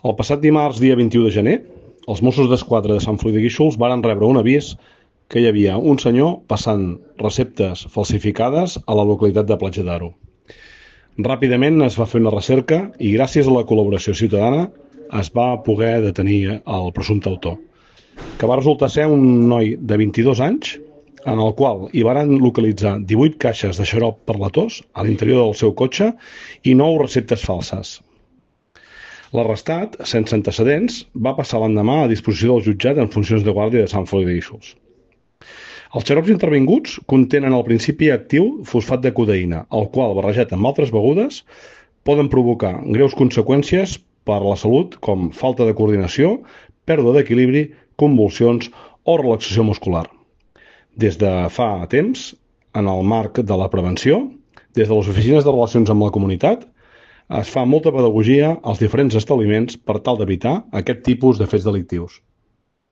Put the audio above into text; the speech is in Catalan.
El passat dimarts, dia 21 de gener, els Mossos d'Esquadra de Sant Feliu de Guíxols varen rebre un avís que hi havia un senyor passant receptes falsificades a la localitat de Platja d'Aro. Ràpidament es va fer una recerca i gràcies a la col·laboració ciutadana es va poder detenir el presumpte autor, que va resultar ser un noi de 22 anys en el qual hi varen localitzar 18 caixes de xarop per la tos a l'interior del seu cotxe i 9 receptes falses. L'arrestat, sense antecedents, va passar l'endemà a disposició del jutjat en funcions de guàrdia de Sant Feliu de Guíxols. Els xarops intervinguts contenen el principi actiu fosfat de codeïna, el qual, barrejat amb altres begudes, poden provocar greus conseqüències per a la salut com falta de coordinació, pèrdua d'equilibri, convulsions o relaxació muscular. Des de fa temps, en el marc de la prevenció, des de les oficines de relacions amb la comunitat, es fa molta pedagogia als diferents establiments per tal d'evitar aquest tipus de fets delictius.